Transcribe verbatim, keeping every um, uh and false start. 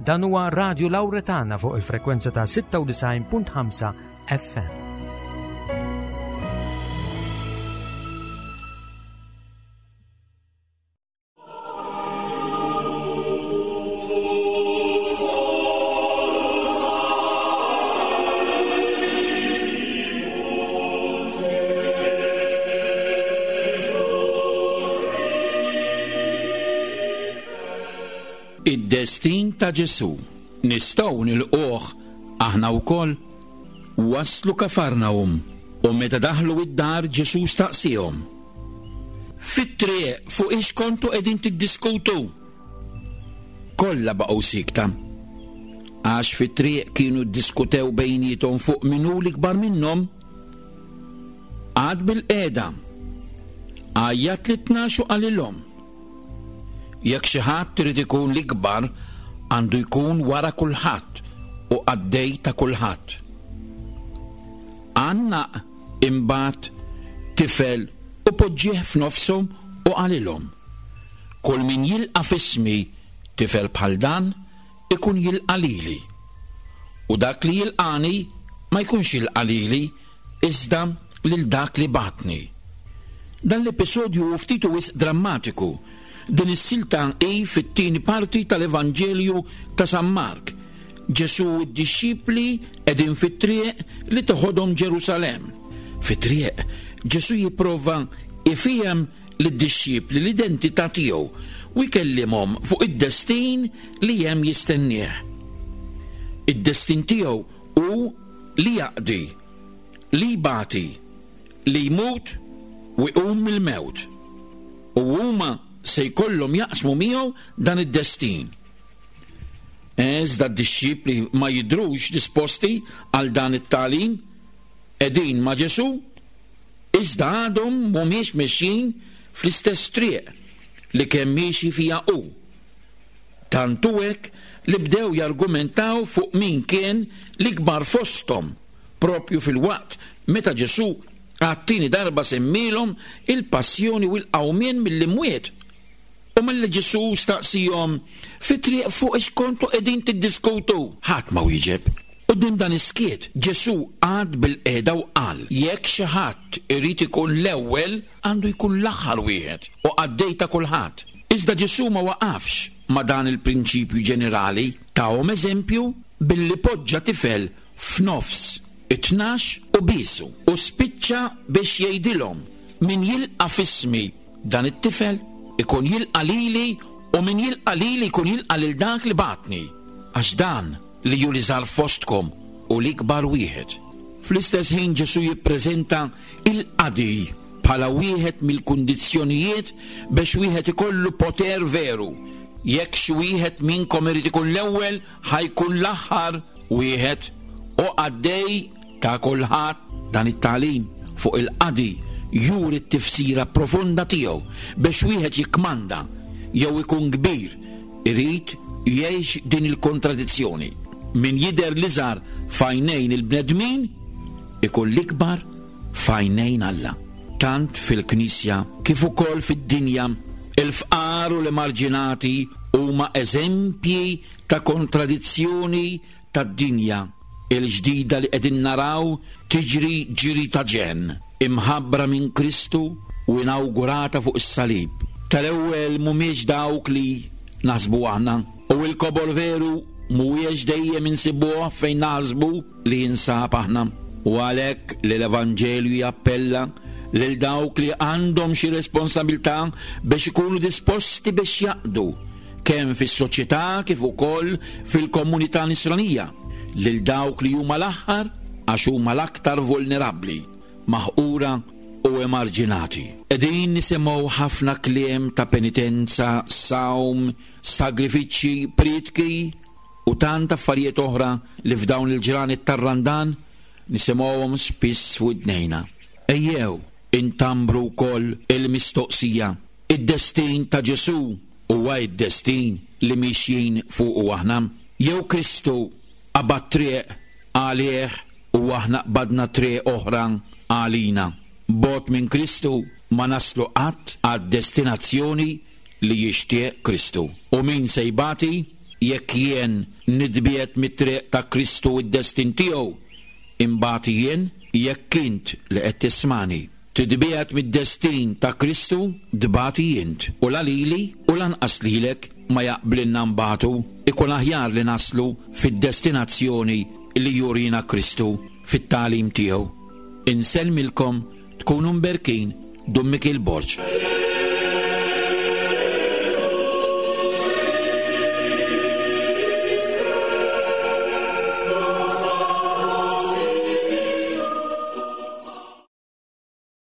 Dan huwa Radio Lauretana fuq il-frekwenza ta' sitta u disgħin punt ħamsa F M. Id-destin ta' Ġesù nistgħu nilqugħ aħna wkoll. Waslu Kafarnahum u meta daħlu id-dar, Ġesù staqsihom: "Fit-triq fuq ix kontu qegħdin tiddiskutu?" Kollha baqgħu siekta. Għax fit-triq kienu ddiskutew bejniethom fuq min hu l-ikbar minnhom. Qagħad bilqiegħda. Għajjat lit-tnax u qalilhom: "Jekk xi ħadd irid ikun l-ikbar, għandu jkun wara kulħadd u qaddej ta' kulħadd." Għannaq imbagħad tifel u poġġieh f'nofshom u qalilhom: "Kull min jilqa' f'ismi tifel bħal dan ikun jilqa' lili. U dak li jilqani ma jkunx jilqa' lili, iżda lil dak li bagħatni." Dan l-episodju hu ftit u wisq drammatiku. Din is-silta hi fit-tieni parti tal-Evanġelju ta' San Mark. Ġesu u d-dixxipli qegħdin fit-triq li toħodhom Ġerusalem. Fit-triq Ġesu jipprova ifhem lid-dixxipli l-identità tiegħu u jkellimhom fuq id-destin li hemm jistennieh. Id-destin tiegħu hu li jaqdi, li jbati, li jmut u jqum mill-mewt. U huma se jkollhom jaqsmu miegħu dan id-destin. Iżda d-dixxipli ma jidrux disposti għal dan it-tagħlim. Qegħdin ma' Ġesu, iżda għadhom mhumiex mexjin fl-istess triq li kemm miexi fija hu. Tant hu hekk li bdew jargumentaw fuq min kien l-ikbar fosthom, propju fil-waqt meta Ġesu għat-tieni darba semmilhom il-passjoni u l-qawmien mill-imwiet. U malli Ġesu staqsihom: "Fit-triq fuq ix kontu qegħdin tiddiskutu?" ħadd ma wieġeb. Quddiem dan is-skiet, Ġesu qagħad bilqiegħda u qal: "Jekk xi ħadd irid ikun l-ewwel, għandu jkun l-aħħar wieħed u qaddej ta' kulħadd." Iżda Ġesu ma waqafx ma' dan il-prinċipju ġenerali, tahom eżempju billi poġġa tifel f'nofs it-tnax u biesu u spiċċa biex jgħidilhom: "Min jilqa' f'ismi dan it-tifel ikun jilqa' lili, u min jilqa' lili jkun jilqa' lil dak li bagħatni. Għax dan li hu l-iżgħar fostkom hu l-ikbar wieħed." Fl-istess ħin Ġesu jippreżenta il-qadi bħala wieħed mill-kundizzjonijiet biex wieħed ikollu poter veru. "Jekk xi wieħed minnkom irid ikun l-ewwel, ħa jkun l-aħħar wieħed u qaddej ta' kulħadd." Dan it-tagħlim fuq il-qadi juri t-tifsira profonda tiegħu. Biex wieħed jikkmanda jew ikun kbir, irid jgħix din il-kontradizzjoni. Min jidher l-iżgħar f'għajnejn il-bnedmin ikun l-ikbar f'għajnejn Alla. Tant fil-Knisja kif ukoll fid-dinja, il-fqar u l-emarġinati huma eżempji ta' kontradizzjoni tad-dinja il-ġdida li qegħdin naraw tiġri ġiri ta' ġenn, imħabbra minn Kristu u inawgurata fuq is-salib. Tal-ewwel mhumiex dawk li naħsbu aħna, u l-kobor veru mhuwiex dejjem insibuh fejn naħsbu li jinsab aħna. U għalhekk li l-Evanġelju jappella lil dawk li għandhom xi responsabilità biex ikunu disposti biex jaqdu kemm fis-soċjetà kif ukoll fil-komunità nisranija, lil dawk li huma l-aħħar, għax huma l-aktar vulnerabbli, maħqura u emarġinati. Qegħdin nisimgħu ħafna kliem ta' penitenza, sawm, sagrifiċċji, prietki u tant affarijiet oħra li f'dawn il-ġranet tar-Randan nisimgħuhom spiss fuq idnejna. Ejjew intambru wkoll il-mistoqsija: id-destin ta' Ġesu huwa id-destin li mixjin fuqu aħna? Jew Kristu qabad triq għalih u aħna qbadna triq oħra għalina? Bogħod minn Kristu ma naslu qatt għad-destinazzjoni li jixtieq Kristu. U min se jbati? Jekk jien nitbiegħed mit-triq ta' Kristu u d-destin tiegħu, imbati jien, jekk int li qed tismani titbiegħed mid-destin ta' Kristu, tbati int. U la lili u lanqas lilek ma jaqblilna nbatu, ikun aħjar li naslu fid-destinazzjoni li jurina Kristu fit-tagħlim tiegħu. Insellmilkom, tkunu mberkin, Dun Mikiel Borg.